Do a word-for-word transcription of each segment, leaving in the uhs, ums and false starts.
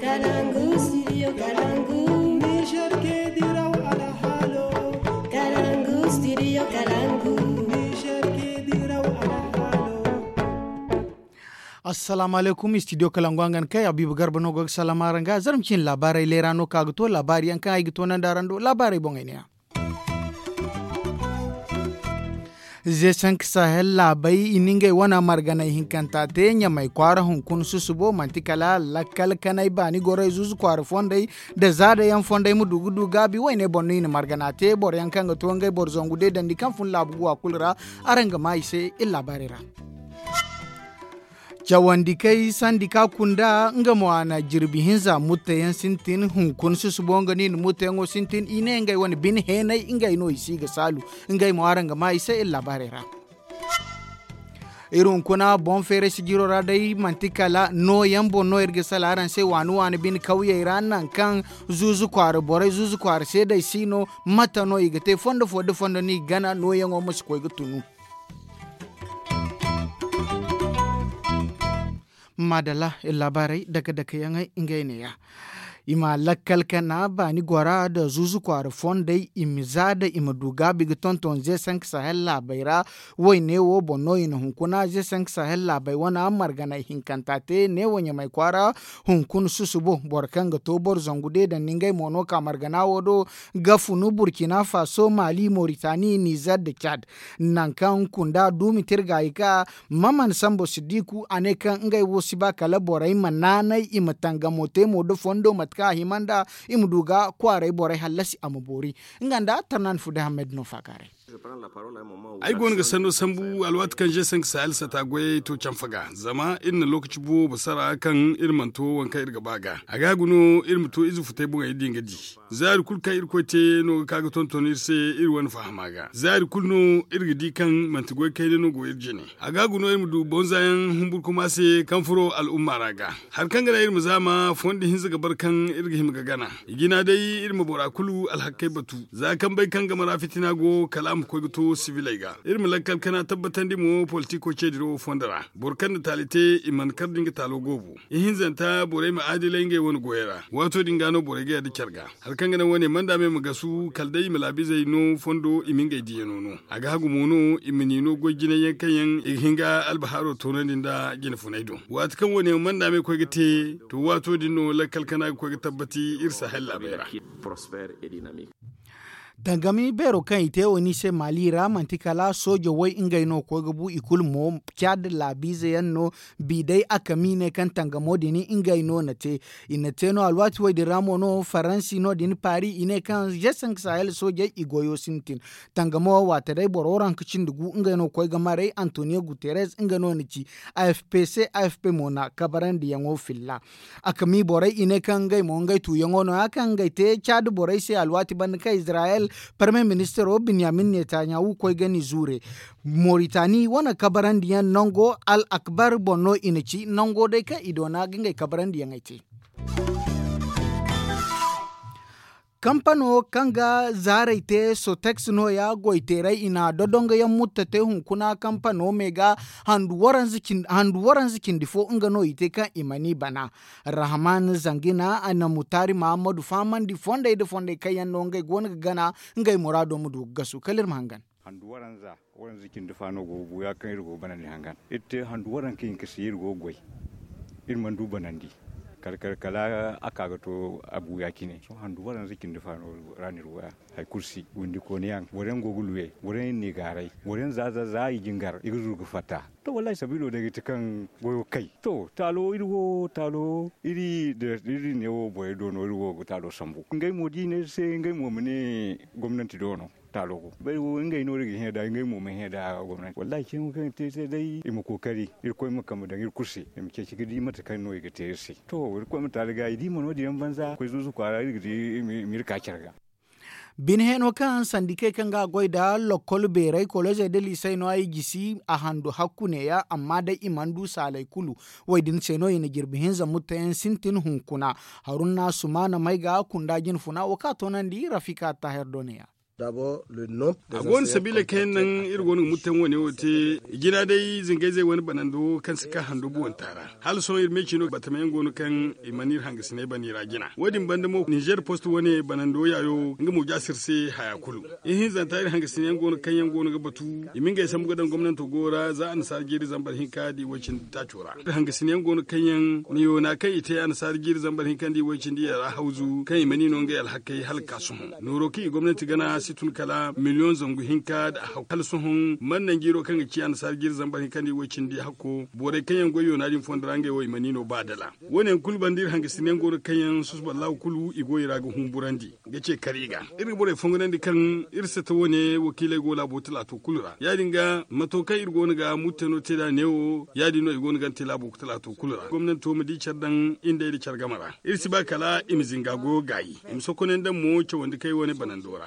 Kalangu, studio Kalangu. Niger ke diraw alhalo. Kalangu, studio Kalangu. Niger ke diraw alhalo. Assalamu alaikum, studio Kalangu, hangan kay Habibu Garba no go ga salama araŋ ga. Zarma cine laabaarey leera no ka ga to laabaari yaŋ kaŋ ay ga to nandi araŋ do laabaarey boŋey ne ya. Zesank sahel laabey i na ngey wane marganay hinkanta te ɲamay kwaara hunkuna susubo manti kala lakkal kanay baani goray zuzu kwaara fondey, nda zaada yaŋ fondey ma du ga du gaabi wayne boŋ no i na margana te boro yaŋ kaŋ ga to ngey boro zangu deedandi kaŋ fun laabu guwa kulu ra. Araŋ ga maa i se iri laabaarey ra. Cawandi kay sandi ka kunda nga mo a na jirbi hinza mutta yaŋ sintin hunkuna susubo nga no i na mutta yaŋo sintin i ne ngey wane bine heenay ngey no i si ga saalu. Ngey mo araŋ ga maa i se iri laabaarey ra. Iri hunkuna boŋ feeray sijiro ra day manti kala nooyaŋ boŋ no iri ga sala araŋ se waani waani bine kawyey ra nangu kaŋ zuuzu kwaara borey zuuzu kwaara seedey si no. Mate no i ga te fondo fo da fondo no i ga gana nooyaŋo ma si koy ga tunu. Maadalla iri laabaarey dake dake yaŋey ngey ne ya. I ma lakkal kana baani gora nda zuuzu kwaara fondey i ma za nda i ma du gaabi ga tonton ze sank sahel laabey ra. Woy neewo boŋ no i na hunkuna ze sank sahel laabey wane marganay hinkanta te neewo ɲamay kwaara. Hunkuna susubo boro kaŋ ga to boro zangu deedandi ngey mo no ka margana wo do ga funu burkina faso mali moritani nizer nda cad. Nangu kaŋ kunda duumi tirgaayi ka maman sambo siddiku a ne kaŋ ngey wo si ba kala borey ma naanay i ma tangamo te mo da fondo mate kaŋ a hima nda i ma du ga kwaaray borey hallasi a ma boori. Nga nda tarnan fude hammed no faakaaray. Ay go no ga sanno sambu alwaati kaŋ je sank sahel sata goyey to canfa ga zama iri na lookaci boobo sara kaŋ iri mana to waŋ kaŋ iri ga ba ga a ga ga no iri ma to ize futay boŋey din ga di. Zaari kulu kaŋ irkoy te no ga ka ga tonton iri se iri wane fahama ga zaari kulu no iri ga di kaŋ manti goy kayna no go iri jine. A ga ga no iri ma du bonza yaŋ humburkuma se kaŋ furo al'umma ra ga. Hari kaŋ ga naŋ iri ma zaama fondo hinza ga bar kaŋ iri ga hima ga gana. I jina day iri ma bora kulu alhakkey batu za kaŋ bay kaŋ game ra fitina go kala a ma koy ga to sibiley ga iri ma lakkal kana tabbatandi mo politiko ceediro fondo ra. Boro kaŋ na taali te i mana kar da nga taalo goobo. Ihinzanta borey ma aadilay ngey wane goyey ra waato din ga no borey ga yadda care ga. Hari kaŋ ga naŋ wane manda me ma gasu kala day i ma laabizey no fondo i ma ngey diyano no. A ga hagu mo no i ma ni no goy jinay yaŋ kaŋ yaŋ i ga hin ga albahaaro toonandi nda jine funay do. Waati kaŋ wane manda me koy ga te to waato din no lakkal kana ga koy ga tabbati iri sahel laabey ra. Tangami beero kaŋ i te wo ni se mali ra manti kala soojo way ngey no koy ga bu i kulu mo caad laabiize yaŋ no. Bi day a kami ne kaŋ tangamo din ngey no na te. I na te no alwaati way din ra mo no faransi no din paari i ne kaŋ jesank sahel soojey i goyo sintin. Tangamo waate day boro ranka cindi gu ngey no koy ga maray antonio guterres nga no na ci. Afp se afp mo na kabarandiyaŋo filla. A kami borey i ne kaŋ ngey mo ngey tuuyaŋo no ya kaŋ ngey te caadi borey se alwaati banda kaŋ izirayel parme ministiro binyamin netanyahu koy ga ni zuure. Moritani wane kabarandiyaŋ nango al akbar boŋ no i na ci nango day kaŋ i doona ga ngey kabarandiyaŋey te. Kampano kaŋ ga zaarey te sotex no- ya goyteerey i na dodongoyaŋ mutta te hunkuna kampano me ga handu waranza cindi fo nga no i te kaŋ i mana i bana. Rahman zangina a na mutaari mahammadu fahamandi fondey nda fondey kaŋ yaŋ no ngey go no ga gana ngey muraado ma du ga gasu kala iri ma hangan. Handu waranza waranza cindi fa no go ga buuya kaŋ iri go ga banandi hangan iri te handu waranka hinka se iri go ga goy. Iri mana du banandi kala kala kala a ka ga to a buuya cine sohõ handu waranza cindi fa no ra no iri goya. Hari kulu si windi kooniyaŋ boro yaŋ go ga luwe boro yaŋ iri n'i gaaray boro yaŋ za za za i jingar i ga zuru ga fatta. To wallahi sabiilo day ga ti kaŋ goyo kay to taalo iri wo taalo iri da iri ne wo borey do no iri wo ga taalo sambu ngey mo da i ne iri se ngey mo ma ne gomnanti do no. Taalo go bay wo ngey no iri ga hẽ da ngey mo ma hẽ da gomnanti wallahi cine wo kaŋ iri te se day i ma kookari irkoy ma kambe daŋ iri kulu se i ma ceeci ga di mate kaŋ no i ga te iri se to irkoy ma taali ga i di ma no- din yaŋ banza koy zuuzu kwaara iri ga di i ma iri ka care ga. Bine heno kaŋ sandikey kaŋ ga goy nda lokkol beerey kolezey nda liisey no ay gisi a handu hakku neeya amma day i mana du saaley kulu. Wo- din se no i na jirbi hinza mutteyaŋ sintin hunkuna. Haruna sumaana may ga kunda jinfuna wo kaŋ a toonandi rafika taahir do neeya. A go no sabiila kaŋ yaŋ naŋ iri go no ga murtaŋ wane wo te. Jina day zingayzey wane banando kaŋ si ka hando buwanta ra. Hala sohõ iri me ciino batama yaŋ go no kaŋ i mana iri hangasiney bana i ra jina. Wo- din banda mo nizer post wane banando yaayo nga mo jaasir se haya kulu. Ihinzanta iri hangasiney yaŋ go no kaŋ yaŋ go no ga batu i ma ngey sambu ga daŋ gomnanto go ra za annasaara jiiri zambar hinka da i way cindi taaco ra. Iri hangasiney yaŋ go no kaŋ yaŋ na yoona kaŋ i te annasaara jiiri zambar hinka nda i way cindi yaŋ ra hawzu kaŋ i mana i no ngey alhakey hala ga ka sohõ nooro kaŋ i gomnanti gana si tun kala miliyoŋ zangu hinka nda a hakku hala sohõ mana naŋ jiiro kaŋ ga ci annasaara jiiri zambar hinka nda i way cindi hakko borey kaŋ yaŋ goy yoona din fondo ra ngey wo i mana i no ba dala. Wo- ne yaŋ kulu banda iri hangasiney yaŋ go no kaŋ yaŋ susuba laahu kulu i go i ra ga humburandi ga ce kar i ga. Iri ga borey fongonandi kaŋ iri sata wo- ne wakiiley go laabo talaato kulu ra ya- din ga mato kaŋ iri go no ga murtano te nd'a neewo ya- din no i go no ga ni te laabo talaato kulu ra gomnanto ma di care daŋ i nda ay nda care game ra. Iri si ba kala i ma zinga goyo gaayi i ma sokonay nda mo cawandi kaŋ ay wane banando ra.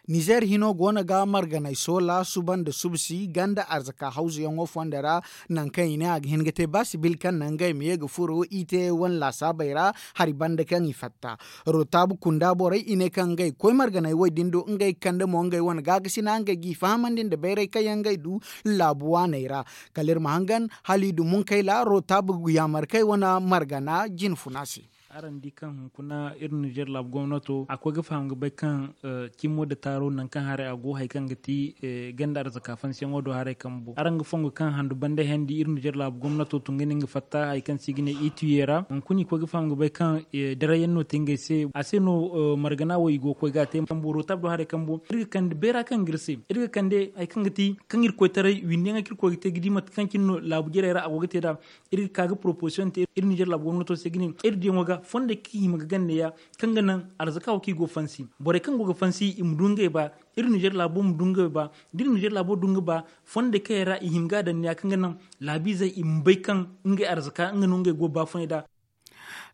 Nizer hino go no ga marganay soola suba nda subsi ganda arzaka hawzuyaŋo fondo ra. Nangu kaŋ i ne a ga hin ga te ba sibil kaŋ naŋ ngey ma ye ga furo i te wane laasaabey ra hari banda kaŋ i fatta. Rotabu kunda borey i ne kaŋ ngey koy marganay wo- din do ngey ga kande mo ngey wane gaakasina ngey g'i fahamandi nda bayray kaŋ yaŋ ngey du laabu waaney ra. Kala iri ma hangan hala i du munkayla rotabu yaamarkey wane margana jinfuna se. Araŋ di kaŋ hunkuna iri nizer laabu gomnato a koy ga faham ga bay kaŋ cimo nda taaro nangu kaŋ haray a go hari kaŋ ga ti ganda arzaka fansiyaŋo do haray kambo araŋ ga fongo kaŋ handu banda handi iri nizer laabu gomnato tun ga ne nga fatta hari kaŋ se i ga ne ituye ra hunkuna i koy ga faham ga bay kaŋ daray yaŋ no te ngey se a se no. Margana wo i go ga koy ga a te kambo rotab do haray kambo iri ga kande beera kaŋ ga iri se iri ga kande hari kaŋ ga ti kaŋ iri koytaray windi yaŋ kaŋ iri koy ga te ga di mate kaŋ cine no laabu jarey ra a go ga te nd'a. Iri ga ka ga proposition te iri nizer laabu gomnato se ga ne iri diyaŋo ga fondey kaŋ i hima ga gande ya kaŋ ga naŋ arzaka wo kaŋ i go ga fansi borey kaŋ go ga fansi i ma du ngey ba. Iri nizer laabo ma du ngey ba da iri nizer laabo du nga ba fondey kaŋ yaŋ ra i hima ga a daŋ ne ya kaŋ ga naŋ laabiizey i ma bay kaŋ ngey arzaka nga no ngey go ga baafunay nd'a.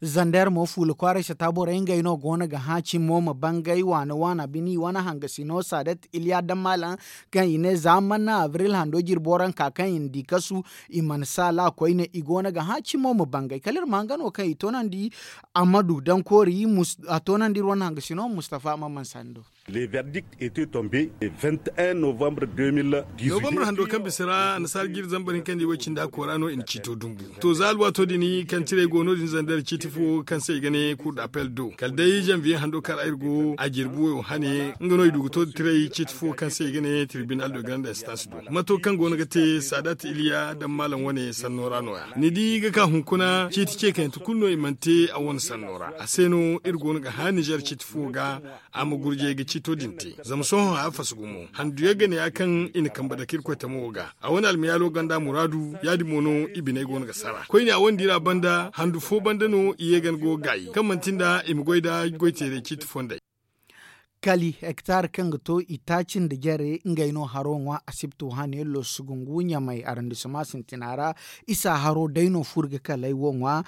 Zander mo fuula kwaaray sata borey ngey no go no ga hã cimo ma bangay waana waana bini wane hangasino saadat iliya dammaalaŋ kaŋ i ne za mana abril hando jirbo ra nka kaŋ i na di kasu. I mana saala koyne i go no ga hã cimo ma bangay kala iri ma hangan wo kaŋ i toonandi. Ammadu dankoori a toonandi iri wane hangasino mustafa maman sando. Le verdict etait tombe le vingt et un novembre deux mille dix-huit. Novembre hando kaŋ bisa ra annasaara jiiri zambar hinka nda i way cindi a koora no i na ciito dumbu. To za alwaato din kaŋ tiray go no- din zandar ciiti fo kaŋ se i ga ne cour d'appel do kala day janvier hando kar ay go a jirbi wayo hane nga no i du ga to da tiray ciiti fo kaŋ se i ga ne tribunal de grande instance do. Mato kaŋ go no ga te saadat iliya daŋ maalam wane sanno ra no- ya ni di ga ka hunkuna ciiti ce kaŋ yaŋ ti kulu no i mana te a wane sanno ra a se no iri go no ga hã nizer ciiti fo ga. A ma gurjay ga ciito din te zama sohõ haya fasu gumo handu yaŋ ga ne ya kaŋ i na kambe dake iri koy tamo wo ga a wane almayaalo ganda muraadu ya- din mo no i biney go no ga sara koyne a wane diira banda handu fo banda no i ye ga ni go ga gaayi kaŋ manti nda i ma goy nda goy teeray ciiti fondey. Kali hektar kaŋ ga to itaaci nda jare ngey no haro ŋwa asibto hane losugungu ɲamay arandisama sintina ra. Isa haro day no furo ga kalay wo ŋwa.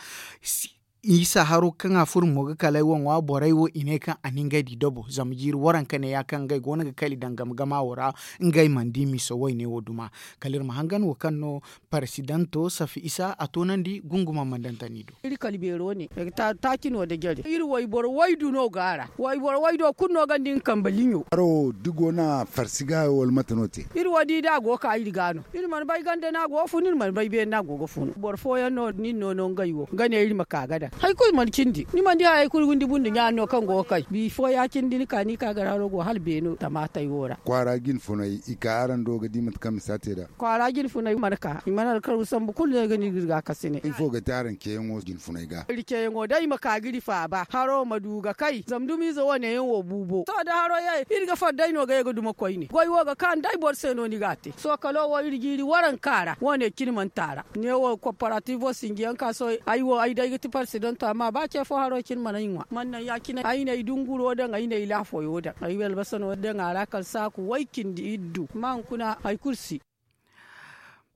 Isa haro kaŋ a furo mo ga kalay wo ŋwa borey wo i ne kaŋ a na ngey di dabo zama jiiri waranka ne ya kaŋ ngey go no ga kali daŋ game gama wo ra. Ngey mana di miso wayne wo duma kala iri ma hangan wo kaŋ no paresidanto safi isa a toonandi gunguma mandantani do. Iri kala beero ne taaci no nda jare iri wayboro waydu no go a ra. Wayboro waydo kulu no gonda nga kambe liɲo. Haro da go no a farsi ga wala mate no te. Iri wo di da a go ga ka iri ga no iri mana bay ganda no a go ga fun iri mana bay beene no a go ga fun boro fooyaŋ no nin no no ngey wo ga ne iri ma ka ga daŋ hari kulu mana cindi ni mana di hari kulu windi bundu ɲaani no kaŋ go ga kay bifo ya- cine da ni ka ni ka gar haro go hala beeno tamaatey wo ra. Kwaara jinfunay i ka araŋ do ga di mate kaŋ misa te nd'a. Kwaara jinfunay mana ka i mana alkaro sambu kulu no ay ga no iri ga iri ga a kase ne. Ifo ga te araŋ ceeyaŋo jinfunay ga? Iri ceeyaŋo day ma ka ga iri faaba haro ma du ga kay zama dumiize wane yaŋ wo buubo to da haro ye iri ga far day no ga ye ga duma koyne goy wo ga ka nda ay boro se no ni ga a te sookalo wo iri jiiri waranka ra wane cine mana taara. Ne wo koparativo sinjiyaŋ ka sohõ ay wo ay day ga ti paresidanto amma ba ce fo haro cine mana ay ŋwa mana naŋ ya- cine ay na ay dunguro daŋ ay na ay laafoyo daŋ ay albasano daŋ a ra kala saaku way cindi iddu amma hunkuna hari kulu si.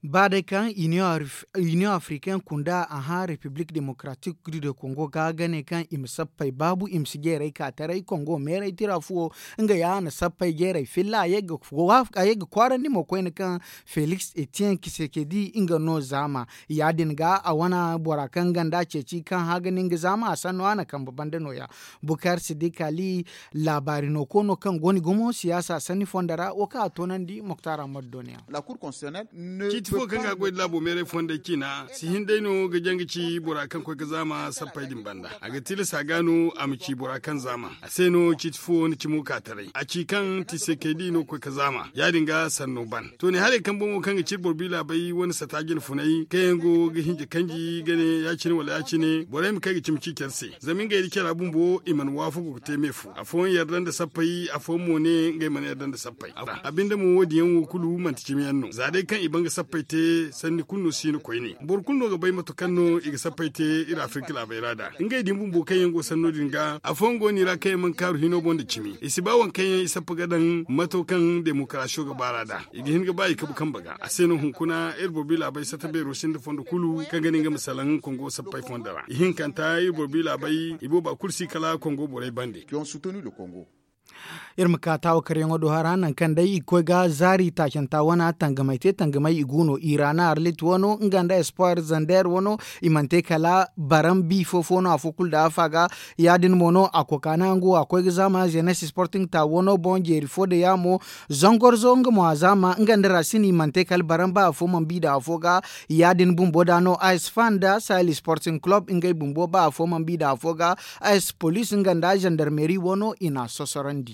Ba day kaŋ, iniyoŋ africaine kunda a hã repiblik demokaratik du de kongo ga ga ne kaŋ i ma sappey baabu i ma si jeeray ka taray kongo meeray tira fuwo. Nga ya a na sappey jeeray filla a ye ga kwaarandi mo koyne kaŋ, feliks etiyen kisekedi nga no zaama. Ya- din ga a wane bora kaŋ ganda ceeci kaŋ hã ga ni nga zaama a sanno a na kambe banda nooya. Bukar sidikali, laabaari no koono kaŋ go ni gumo siyaasa sanni fondo ra wo kaŋ a toonandi moktar ammadu dooniyaŋ. Ciiti fo kaŋ ga a goy nda laabo meeray fondey ciina si hin day no ga janga ci bora kaŋ koy ga zaama sappey din banda. A ga tilas a ga no a ma ci bora kaŋ zaama a se no ciiti fo ni cimo ka taray a ci kaŋ tisekedi no koy ga zaama ya- din ga sanno ban. To ne haray kaŋ boŋo kaŋ ga ci iri boro biila bay wane sata jine funay kaŋ yaŋ go ga hinja kanji ga ne ya- cine wala ya- cine borey ma kay ga cimi ci care se. Zama ngey nda cara bumbo i mana waafagu ga te me fo afooyaŋ yarda nda sappey afooyaŋ mo ne ngey mana yarda nda sappey. A binde mo wo- din yaŋ wo kulu manti cimi yaŋ no za day kaŋ i ban ga sappey te sanni kulu no si no koyne boro kulu no ga bay mate kaŋ no i ga sappey te iri afirka laabey ra nd'a. Ngey din bumbo kaŋ yaŋ go sanno din ga afooyaŋ go no i ra kaŋ yaŋ mana kaaru hino boŋ nda cimi i si ba waŋ kaŋ yaŋ i sappa ga daŋ mato kaŋ demokarasiyo ga baar'a nd'a. I ga hin ga ba i kabu kambe ga a se no hunkuna iri boro biila bay sata beero sinda fondo kulu kaŋ ga ne nga ma salaŋ kongo sappey fondo ra ihinkanta iri boro biila bay i booba kulu si kala kongo borey bande. Iri ma ka taawa karyaŋo do hara nangu kaŋ day i ga koy ga zaari taacanta wana tangamay te tangamay i gu no i ra na arlit wano nga nda espoir zander wano. I mana te kala baran bi fo fo no afo kulu da afa ga ya- din mo no a koka naŋ a go a koy ga zaama zenes sporting ta wano boŋ jeeri fo da yaamo. Zangorzo nga mo a zaama nga nda rasin i mana te kala baran ba afo mana bi da afo ga. Ya- din bumbo da no a si fa nda sahel sporting club ngey bumbo ba afo mana bi da afo ga. A si police nga nda zandarmeri wano i na a sosorandi.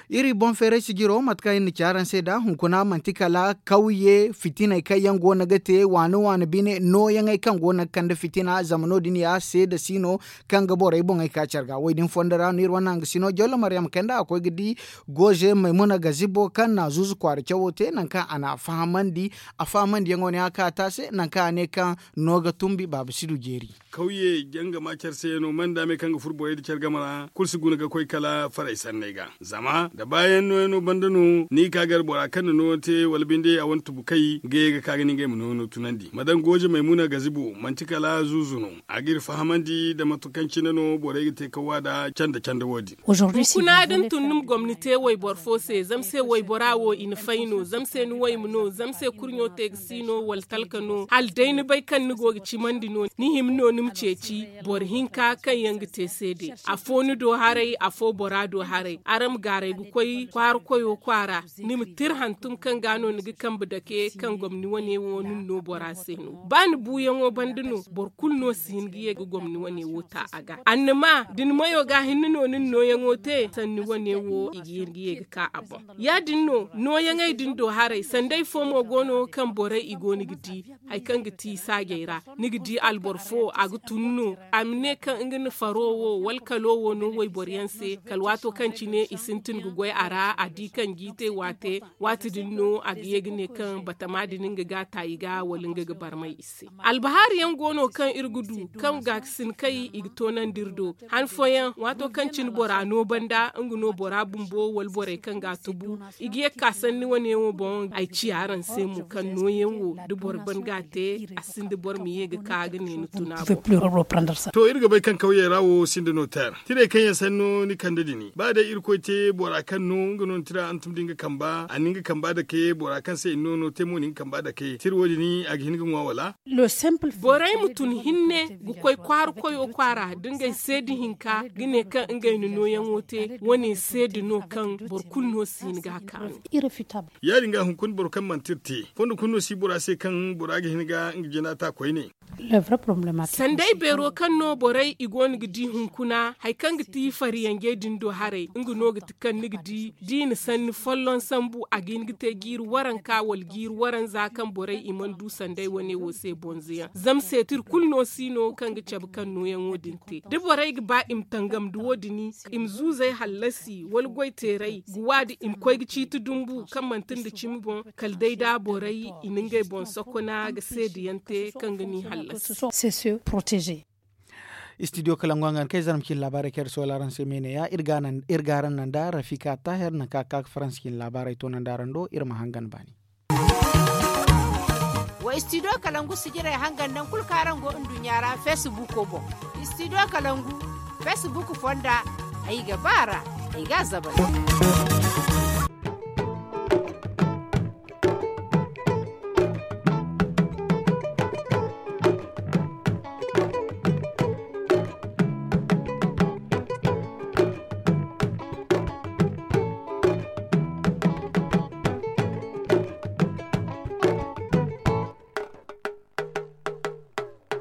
Iri boŋ feeray sijiro mate kaŋ iri na ci araŋ se nd'a hunkuna manti kala kawye fitiney kaŋ yaŋ go no ga te waani waani bine nooyaŋey kaŋ go no ga kande fitina zama no- din ya seeda si no. Kaŋ ga borey boŋey ka care ga wo- din fondo ra no iri wane hanga si no jollo maryam kayndi a koy ga di. Goze maymuna gazibo kaŋ na zuuzu kwaara cawo te nangu kaŋ a na a fahamandi. A fahamandiyaŋo ne a ka taase nangu kaŋ a ne kaŋ no ga tumbi baaba si du jeeri. Kawye jangama care se yaŋ no manda me kaŋ ga furo borey nda care game ra kulu si guna ga koy kala faray sanney ga. Zama da baayaŋ nooyaŋo banda no ni ga ka gar bora kaŋ na nooyaŋo te wala binde a wane tubukay ga ye ga ka ga ne ngey ma nooyaŋo tunandi ma daŋ gooje maymuna gazibo manti kala zuuzu no. A ga iri fahamandi nda mate kaŋ cine no borey ga te kawa nda canda canda wo- din. Hunkuna da ni tun ni ma gomni te wayboro fo se zama se waybora wo i na fay no zama se ni wayma no zama se kurɲo te ga si no wala talka no hala day ni bay kaŋ ni go ga cimandi no ni hima no ni ma ceeci. Boro hinka kaŋ yaŋ ga te seede afo ni do haray afo bora do haray araŋ ma gaaray ga koy kwaara koyo kwaara. Ni ma tira hantum kaŋ ga no ni ga kambe dake kaŋ gomni wane wo ni na no bora se no ba ni buuyaŋo banda no boro kulu no si hin ga ye ga gomni wane wo ta a ga annama da ni mayo ga hinne no ni na nooyaŋo te sanni wane wo i ga hin ga ye ga ka a boŋ. Ya- din no nooyaŋey din do haray sanday fo mo go no kaŋ borey i go no ga di. Hari kaŋ ga ti saajey ra ni ga di alboro fo a ga tun no a ma ne kaŋ nga na faro wo wala kalo wo no wayboro yaŋ se kala waato kaŋ cine i sintin ga goy a ra a di kaŋ jiite waate. Waati din no a ga ye ga ne kaŋ batama din nga ga taayi ga wala nga ga barmay i se. Albahaari yaŋ go no kaŋ iri ga du kaŋ gaakasinkey i ga toonandi iri do han fooyaŋ waato kaŋ cine bora no banda nga no bora bumbo wala borey kaŋ ga a tubu. I ga ye ga ka sanni wane wo boŋ ay ci araŋ se mo kaŋ nooyaŋ wo da boro ban ga a te a sinda boro ma ye ga ka ga ne ni tuna. To iri ga bay kaŋ kawyey ra wo sinda no teer tirey kaŋ yaŋ sanno ni kande dini ba day irkoy te bora kaŋ no nga no ni tira hantum da nga kamba a na nga kamba dake bora kaŋ se i na no no te mo na nga kamba dake tira wo- din a ga hin ga ŋwa wala? Borey ma tun hinne ga koy kwaara koyo kwaara da ngey seeda hinka ga ne kaŋ ngey na nooyaŋo te wane seeda no kaŋ boro kulu no si hin ga a kaanu. Ya- din ga hunkuna boro kaŋ manti iri te fondo kulu no si bora se kaŋ bora ga hin ga nga jina ta koyne. Sanday beero kaŋ no borey i go no ga di hunkuna hari kaŋ ga ti fariyanjey din do haray nga no ga ti kaŋ ni ga di da i na sanni folloŋ sambu a ga hin ga te jiiri waranka wala jiiri waranza kaŋ borey i mana du sanday wane wo se bonzo yaŋ zama seetir kulu no si no kaŋ ga cabe kaŋ nooyaŋo din te da borey ga ba i ma tangam da wo- din i ma zuuzey hallasi wala goy teeray ga waadi i ma koy ga ciiti dumbu kaŋ manti nda cimi boŋ kala day da borey i na ngey boŋ sokona ga seeda yaŋ te kaŋ ga ni hallasi. Studio kala ngo hangan kay zarma cine laabaarey kaŋ iri soola araŋ se me ne ya iri ga araŋ naŋ da rafika taahir nangu kaŋ a ga ka ga faransa cine laabaarey toonandi araŋ do iri ma hangan baani. Istidiyo kalangu sijirey hangan naŋ kulu kaŋ araŋ go nduɲɲa ra feesibuuko boŋ. Istidiyo kalangu feesibuuku fonda, ay ga ba a ra, ay ga a zabari.